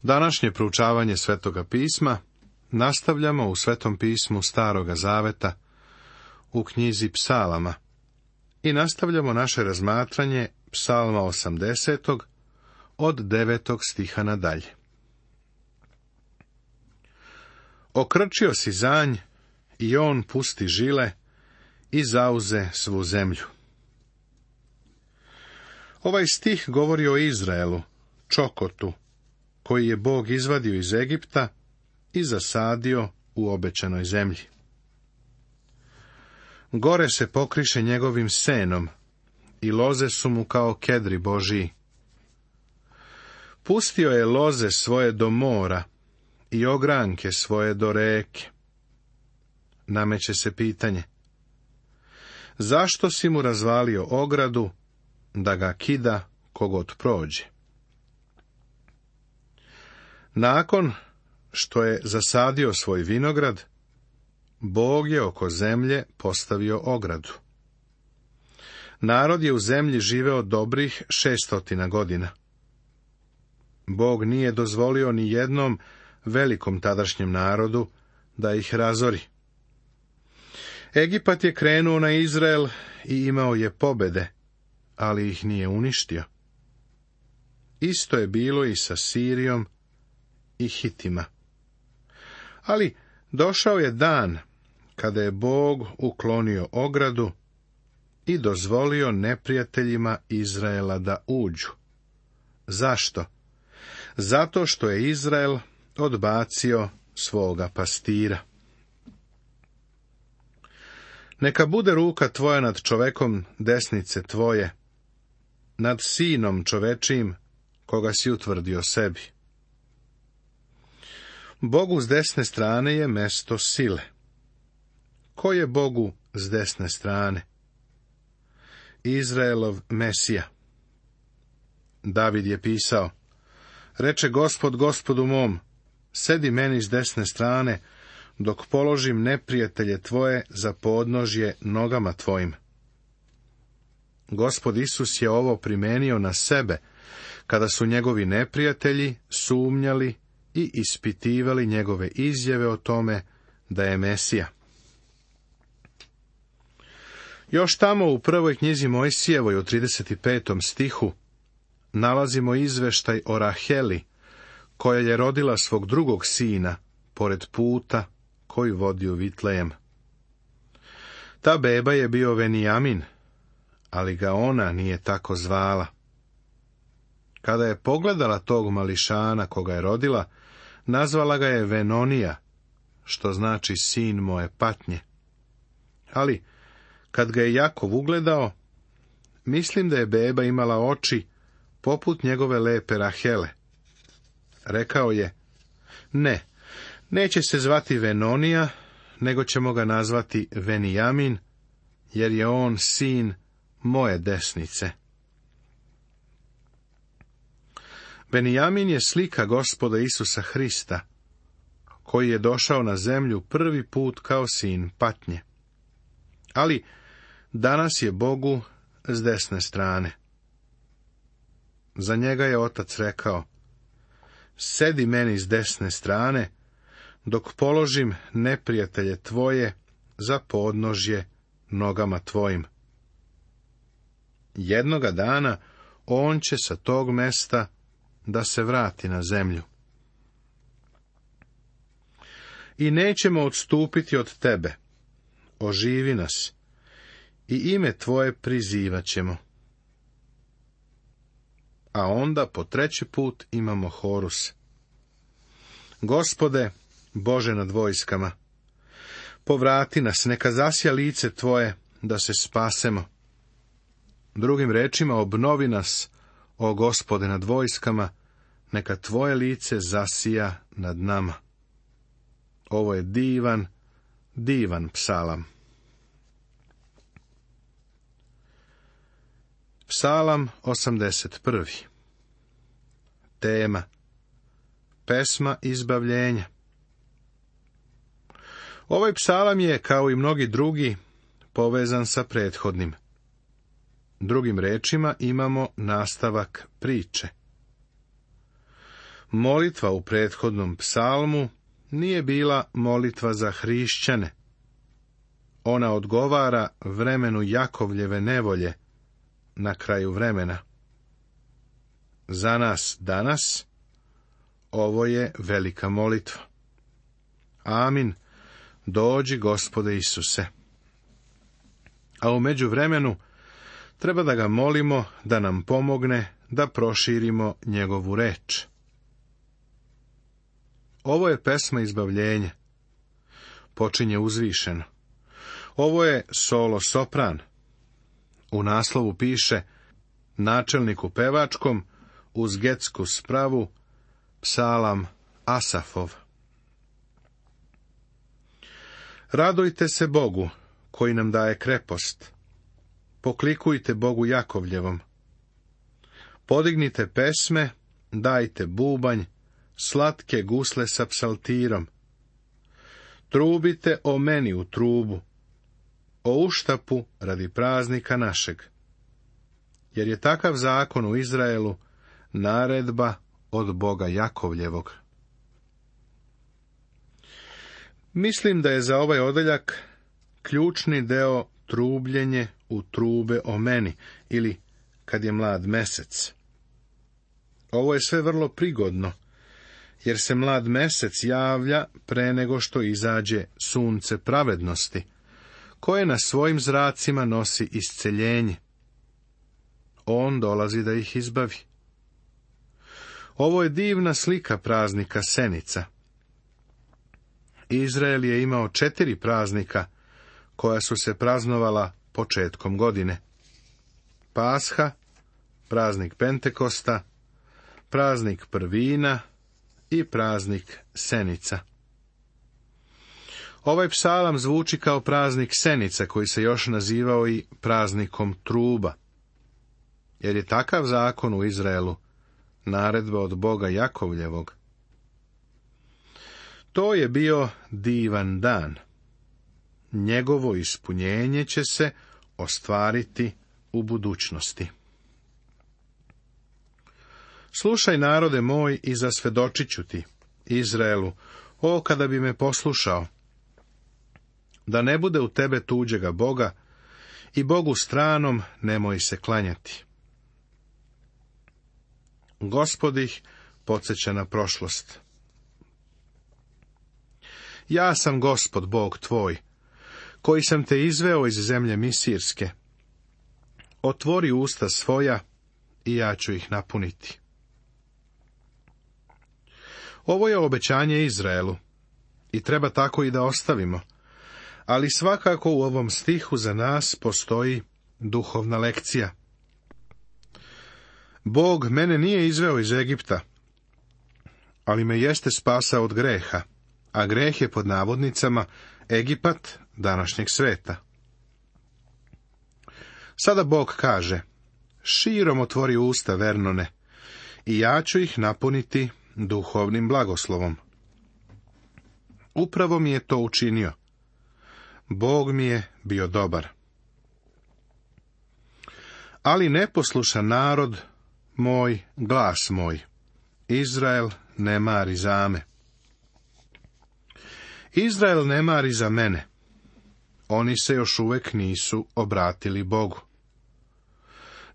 Današnje proučavanje Svetoga pisma nastavljamo u Svetom pismu Staroga zaveta, u knjizi Psalama, i nastavljamo naše razmatranje Psalma 80. od 9. stiha nadalje. Okrčio si zanj i on pusti žile i zauze svu zemlju. Ovaj stih govori o Izraelu, čokotu, koji je Bog izvadio iz Egipta i zasadio u obećanoj zemlji. Gore se pokriše njegovim senom i loze su mu kao kedri Božiji. Pustio je loze svoje do mora i ogranke svoje do reke. Nameće se pitanje: zašto si mu razvalio ogradu, da ga kida kogod prođe? Nakon što je zasadio svoj vinograd, Bog je oko zemlje postavio ogradu. Narod je u zemlji živeo dobrih 600 godina. Bog nije dozvolio ni jednom velikom tadašnjem narodu da ih razori. Egipat je krenuo na Izrael i imao je pobede, ali ih nije uništio. Isto je bilo i sa Sirijom i Hitima. Ali došao je dan kada je Bog uklonio ogradu i dozvolio neprijateljima Izraela da uđu. Zašto? Zato što je Izrael odbacio svoga pastira. Neka bude ruka tvoja nad čovekom desnice tvoje, nad sinom čovečijim, koga si utvrdio sebi. Bogu s desne strane je mesto sile. Ko je Bogu s desne strane? Izraelov Mesija. David je pisao: reče Gospod Gospodu mom, sedi meni s desne strane, dok položim neprijatelje tvoje za podnožje nogama tvojim. Gospod Isus je ovo primenio na sebe, kada su njegovi neprijatelji sumnjali i ispitivali njegove izjave o tome da je Mesija. Još tamo u prvoj knjizi Mojsijevoj u 35. stihu nalazimo izveštaj o Raheli, koja je rodila svog drugog sina pored puta koji vodi u Vitlejem. Ta beba je bio Venijamin, ali ga ona nije tako zvala. Kada je pogledala tog mališana koga je rodila, nazvala ga je Venonija, što znači sin moje patnje. Ali, kad ga je Jakov ugledao, mislim da je beba imala oči poput njegove lepe Rahele. Rekao je: ne, neće se zvati Venonija, nego ćemo ga nazvati Venijamin, jer je on sin moje desnice. Venijamin je slika Gospoda Isusa Hrista, koji je došao na zemlju prvi put kao sin patnje. Ali danas je Bogu s desne strane. Za njega je Otac rekao: sedi meni s desne strane, dok položim neprijatelje tvoje za podnožje nogama tvojim. Jednoga dana on će sa tog mesta da se vrati na zemlju. I nećemo odstupiti od tebe, oživi nas, i ime tvoje prizivat ćemo. A onda po treći put imamo horus: Gospode, Bože nad vojskama, povrati nas, neka zasja lice tvoje, da se spasemo. Drugim rečima, obnovi nas, o Gospode nad vojskama, neka tvoje lice zasija nad nama. Ovo je divan, divan psalam. Psalam 81. Tema: pesma izbavljenja. Ovaj psalam je, kao i mnogi drugi, povezan sa prethodnim. Drugim rečima imamo nastavak priče. Molitva u prethodnom psalmu nije bila molitva za hrišćane. Ona odgovara vremenu Jakovljeve nevolje na kraju vremena. Za nas danas ovo je velika molitva. Amin. Dođi, Gospode Isuse. A u međuvremenu treba da ga molimo da nam pomogne da proširimo njegovu reč. Ovo je pesma izbavljenja. Počinje uzvišeno. Ovo je solo sopran. U naslovu piše načelniku pevačkom uz getsku spravu psalam Asafov. Radujte se Bogu koji nam daje krepost. Poklikujte Bogu Jakovljevom. Podignite pesme, dajte bubanj, slatke gusle sa psaltirom. Trubite o meni u trubu, o uštapu radi praznika našeg. Jer je takav zakon u Izraelu naredba od Boga Jakovljevog. Mislim da je za ovaj odeljak ključni deo trubljenje u trube o meni, ili kad je mlad mesec. Ovo je sve vrlo prigodno, jer se mlad mesec javlja pre nego što izađe sunce pravednosti, koje na svojim zracima nosi isceljenje. On dolazi da ih izbavi. Ovo je divna slika praznika Senica. Izrael je imao 4 praznika, koja su se praznovala početkom godine. Pasha, praznik Pentekosta, praznik Prvina i praznik Senica. Ovaj psalam zvuči kao praznik Senica, koji se još nazivao i praznikom truba, jer je takav zakon u Izraelu naredba od Boga Jakovljevog. To je bio divan dan. Njegovo ispunjenje će se ostvariti u budućnosti. Slušaj, narode moj, i zasvjedočit ću ti, Izraelu, o kada bi me poslušao, da ne bude u tebe tuđega Boga i Bogu stranom nemoj se klanjati. Gospod ih podsjeća na prošlost. Ja sam Gospod, Bog tvoj, koji sam te izveo iz zemlje Misirske. Otvori usta svoja i ja ću ih napuniti. Ovo je obećanje Izraelu i treba tako i da ostavimo, ali svakako u ovom stihu za nas postoji duhovna lekcija. Bog mene nije izveo iz Egipta, ali me jeste spasao od greha, a greh je pod navodnicama Egipat današnjeg sveta. Sada Bog kaže, širom otvori usta, Vernone, i ja ću ih napuniti duhovnim blagoslovom. Upravo mi je to učinio. Bog mi je bio dobar. Ali neposlušan narod moj, glas moj, Izrael ne mari za me. Izrael ne mari za mene. Oni se još uvek nisu obratili Bogu.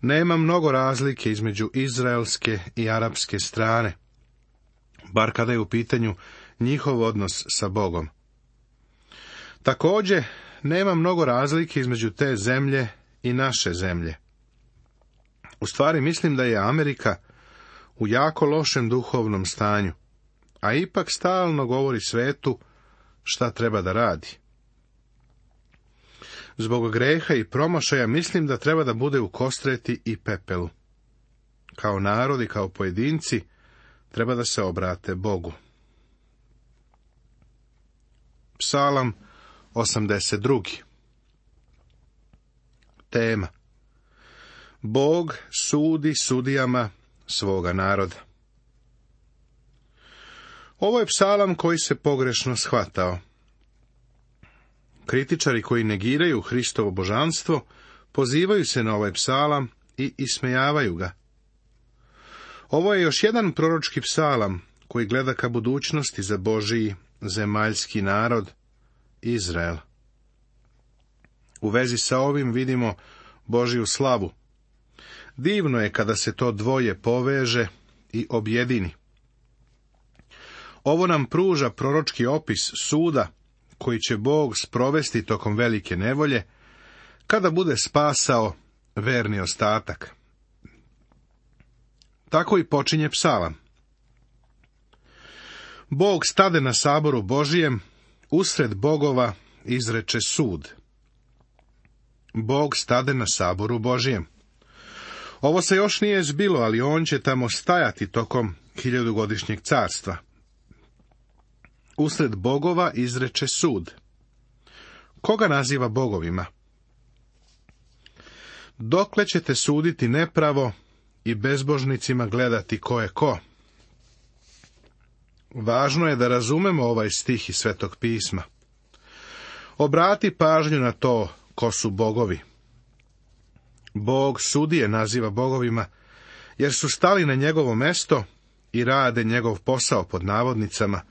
Nema mnogo razlike između izraelske i arapske strane, bar kada je u pitanju njihov odnos sa Bogom. Također, nema mnogo razlike između te zemlje i naše zemlje. U stvari mislim da je Amerika u jako lošem duhovnom stanju, a ipak stalno govori svetu šta treba da radi. Zbog greha i promašaja mislim da treba da bude u kostreti i pepelu. Kao narod i kao pojedinci treba da se obrate Bogu. Psalam 82. Tema: Bog sudi sudijama svoga naroda. Ovo je psalam koji se pogrešno shvatao. Kritičari koji negiraju Hristovo božanstvo pozivaju se na ovaj psalam i ismejavaju ga. Ovo je još jedan proročki psalam koji gleda ka budućnosti za Božiji zemaljski narod, Izrael. U vezi sa ovim vidimo Božju slavu. Divno je kada se to dvoje poveže i objedini. Ovo nam pruža proročki opis suda koji će Bog sprovesti tokom velike nevolje, kada bude spasao verni ostatak. Tako i počinje psalam. Bog stade na saboru Božijem, usred bogova izreče sud. Bog stade na saboru Božijem. Ovo se još nije zbilo, ali on će tamo stajati tokom 1000-godišnjeg carstva. Usred bogova izreče sud. Koga naziva bogovima? Dokle ćete suditi nepravo i bezbožnicima gledati ko je ko? Važno je da razumemo ovaj stih iz Svetog pisma. Obrati pažnju na to ko su bogovi. Bog sudije naziva bogovima, jer su stali na njegovo mesto i rade njegov posao pod navodnicama,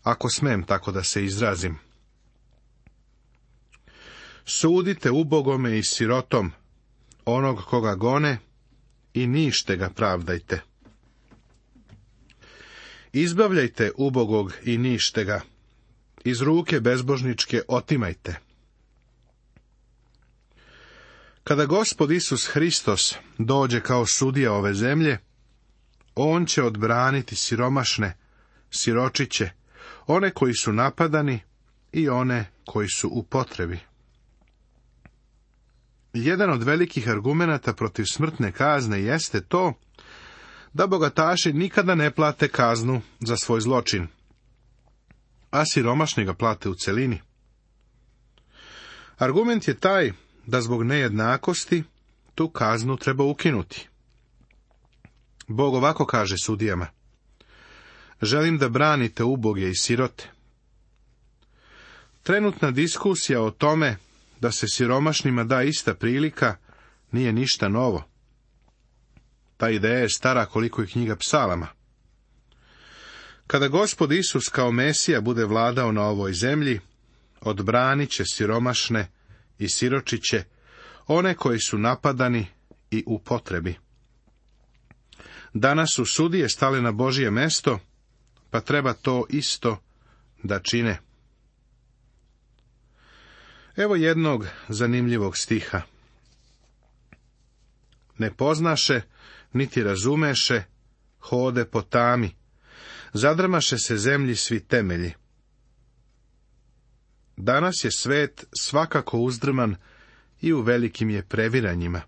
ako smem tako da se izrazim. Sudite ubogome i sirotom, onog koga gone, i nište ga pravdajte. Izbavljajte ubogog i nište ga, iz ruke bezbožničke otimajte. Kada Gospod Isus Hristos dođe kao sudija ove zemlje, on će odbraniti siromašne, siročiće, one koji su napadani i one koji su u potrebi. Jedan od velikih argumenata protiv smrtne kazne jeste to da bogataši nikada ne plate kaznu za svoj zločin, a siromašni ga plate u celini. Argument je taj da zbog nejednakosti tu kaznu treba ukinuti. Bog ovako kaže sudijama: želim da branite uboge i sirote. Trenutna diskusija o tome da se siromašnima da ista prilika nije ništa novo. Ta ideja je stara koliko i knjiga psalama. Kada Gospod Isus kao Mesija bude vladao na ovoj zemlji, odbranit će siromašne i siročiće, one koji su napadani i u potrebi. Danas su sudije stale na Božje mesto, pa treba to isto da čine. Evo jednog zanimljivog stiha. Ne poznaše, niti razumeše, hode po tami, zadrmaše se zemlji svi temelji. Danas je svet svakako uzdrman i u velikim je previranjima.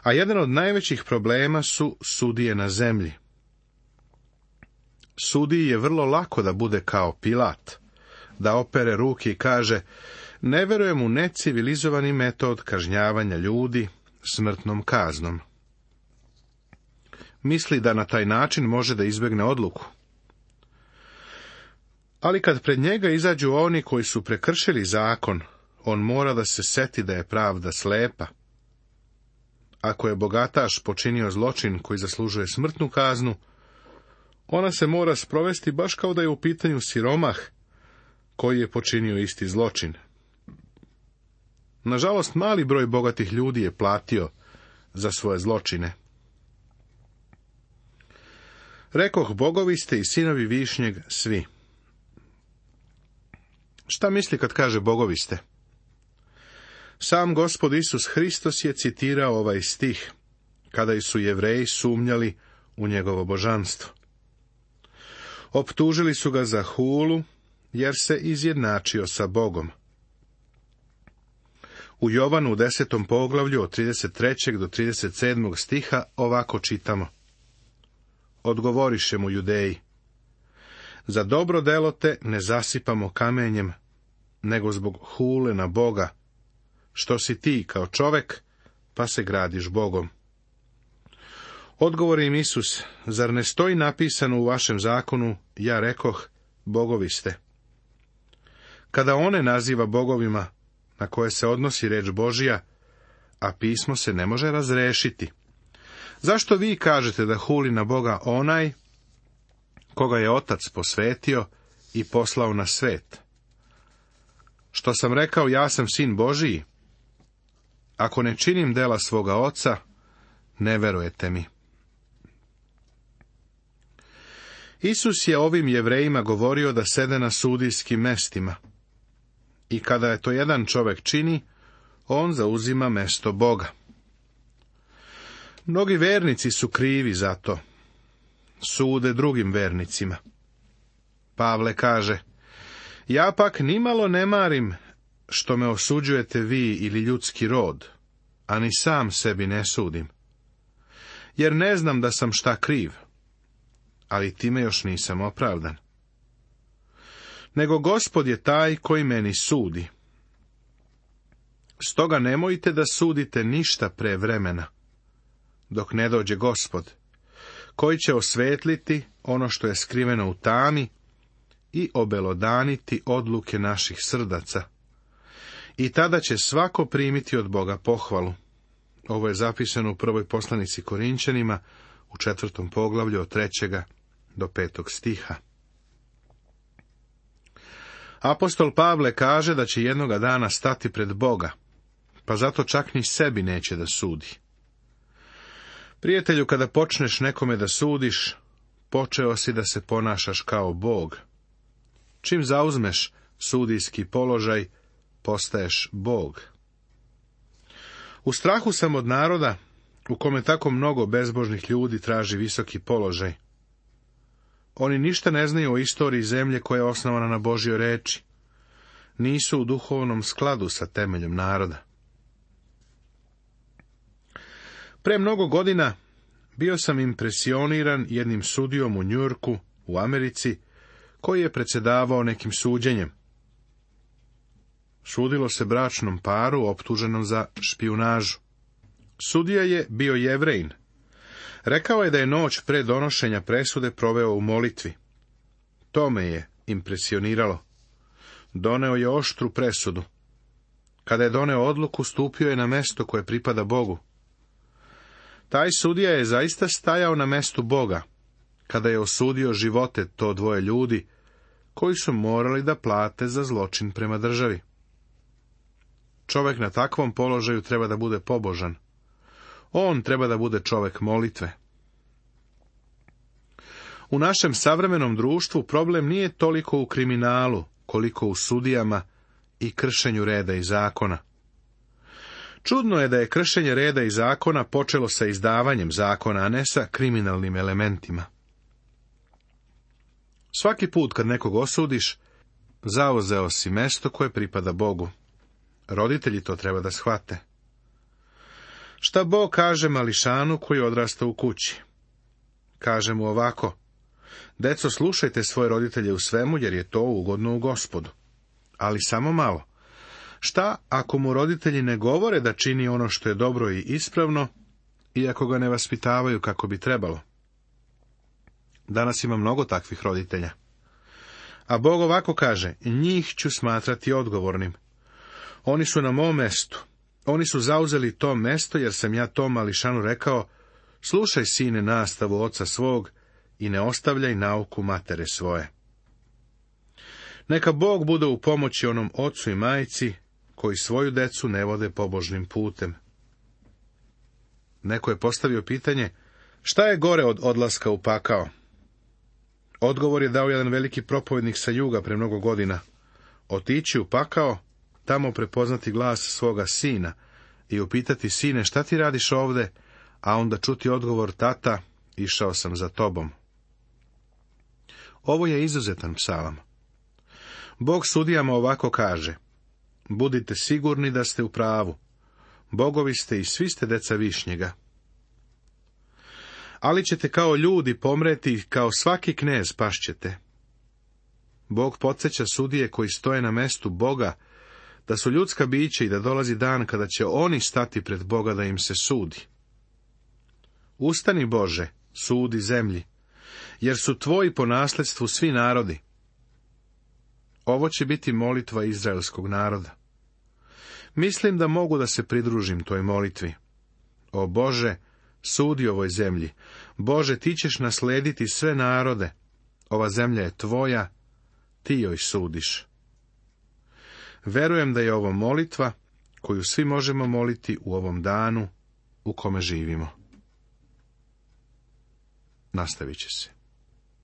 A jedan od najvećih problema su sudije na zemlji. Sudiji je vrlo lako da bude kao Pilat, da opere ruke i kaže: ne verujem u necivilizovani metod kažnjavanja ljudi smrtnom kaznom. Misli da na taj način može da izbjegne odluku. Ali kad pred njega izađu oni koji su prekršili zakon, on mora da se seti da je pravda slepa. Ako je bogataš počinio zločin koji zaslužuje smrtnu kaznu, ona se mora sprovesti baš kao da je u pitanju siromah koji je počinio isti zločin. Nažalost, mali broj bogatih ljudi je platio za svoje zločine. Rekoh, bogovi ste i sinovi višnjeg svi. Šta misli kad kaže bogovi ste? Sam Gospod Isus Hristos je citirao ovaj stih, kada su Jevreji sumnjali u njegovo božanstvo. Optužili su ga za hulu, jer se izjednačio sa Bogom. U Jovanu u 10. poglavlju od 33. do 37. stiha ovako čitamo: odgovoriše mu Judeji: za dobro delo te ne zasipamo kamenjem, nego zbog hule na Boga, što si ti kao čovek, pa se gradiš Bogom. Odgovori im Isus: zar ne stoji napisano u vašem zakonu, ja rekoh, bogovi ste? Kada one naziva bogovima na koje se odnosi reč Božija, a pismo se ne može razrešiti, zašto vi kažete da huli na Boga onaj koga je Otac posvetio i poslao na svet. Što sam rekao, ja sam sin Božiji? Ako ne činim dela svoga Oca, ne verujete mi. Isus je ovim Jevrejima govorio da sede na sudijskim mestima. I kada je to jedan čovjek čini, on zauzima mesto Boga. Mnogi vernici su krivi za to. Sude drugim vernicima. Pavle kaže: ja pak nimalo ne marim što me osuđujete vi ili ljudski rod, a ni sam sebi ne sudim. Jer ne znam da sam šta kriv, ali time još nisam opravdan. Nego Gospod je taj koji meni sudi. Stoga nemojte da sudite ništa pre vremena, dok ne dođe Gospod, koji će osvetliti ono što je skriveno u tami i obelodaniti odluke naših srdaca. I tada će svako primiti od Boga pohvalu. Ovo je zapisano u prvoj poslanici Korinćanima, u 4. poglavlju od 3. do 5. stiha. Apostol Pavle kaže da će jednoga dana stati pred Boga, pa zato čak ni sebi neće da sudi. Prijatelju, kada počneš nekome da sudiš, počeo si da se ponašaš kao Bog. Čim zauzmeš sudijski položaj, postaješ Bog. U strahu sam od naroda, u kome tako mnogo bezbožnih ljudi traži visoki položaj. Oni ništa ne znaju o istoriji zemlje koja je osnovana na Božjoj reči. Nisu u duhovnom skladu sa temeljem naroda. Pre mnogo godina bio sam impresioniran jednim sudijom u Njujorku, u Americi, koji je predsjedavao nekim suđenjem. Sudilo se bračnom paru optuženom za špijunažu. Sudija je bio Jevrejin. Rekao je da je noć pre donošenja presude proveo u molitvi. To me je impresioniralo. Doneo je oštru presudu. Kada je doneo odluku, stupio je na mesto koje pripada Bogu. Taj sudija je zaista stajao na mestu Boga, kada je osudio živote to dvoje ljudi, koji su morali da plate za zločin prema državi. Čovjek na takvom položaju treba da bude pobožan. On treba da bude čovjek molitve. U našem savremenom društvu problem nije toliko u kriminalu, koliko u sudijama i kršenju reda i zakona. Čudno je da je kršenje reda i zakona počelo sa izdavanjem zakona, a ne sa kriminalnim elementima. Svaki put kad nekog osudiš, zauzeo si mesto koje pripada Bogu. Roditelji to treba da shvate. Šta Bog kaže mališanu koji odrasta u kući? Kaže mu ovako: deco, slušajte svoje roditelje u svemu, jer je to ugodno u Gospodu. Ali samo malo. Šta ako mu roditelji ne govore da čini ono što je dobro i ispravno, iako ga ne vaspitavaju kako bi trebalo? Danas ima mnogo takvih roditelja. A Bog ovako kaže: njih ću smatrati odgovornim. Oni su na mom mestu. Oni su zauzeli to mesto, jer sam ja tom mališanu rekao: slušaj, sine, nastavu oca svog i ne ostavljaj nauku matere svoje. Neka Bog bude u pomoći onom ocu i majci koji svoju decu ne vode pobožnim putem. Neko je postavio pitanje: šta je gore od odlaska u pakao? Odgovor je dao jedan veliki propovednik sa juga pre mnogo godina: otići u pakao, tamo prepoznati glas svoga sina i upitati: sine, šta ti radiš ovde? A onda čuti odgovor: tata, išao sam za tobom. Ovo je izuzetan psalam. Bog sudijama ovako kaže: budite sigurni da ste u pravu. Bogovi ste i svi ste deca višnjega. Ali ćete kao ljudi pomreti, kao svaki knez pašćete. Bog podsjeća sudije koji stoje na mestu Boga da su ljudska bića i da dolazi dan kada će oni stati pred Boga da im se sudi. Ustani, Bože, sudi zemlji, jer su tvoji po nasledstvu svi narodi. Ovo će biti molitva izraelskog naroda. Mislim da mogu da se pridružim toj molitvi. O Bože, sudi ovoj zemlji. Bože, ti ćeš naslediti sve narode Ova zemlja je tvoja, ti joj sudiš. Verujem da je ovo molitva koju svi možemo moliti u ovom danu u kome živimo. Nastavit će se.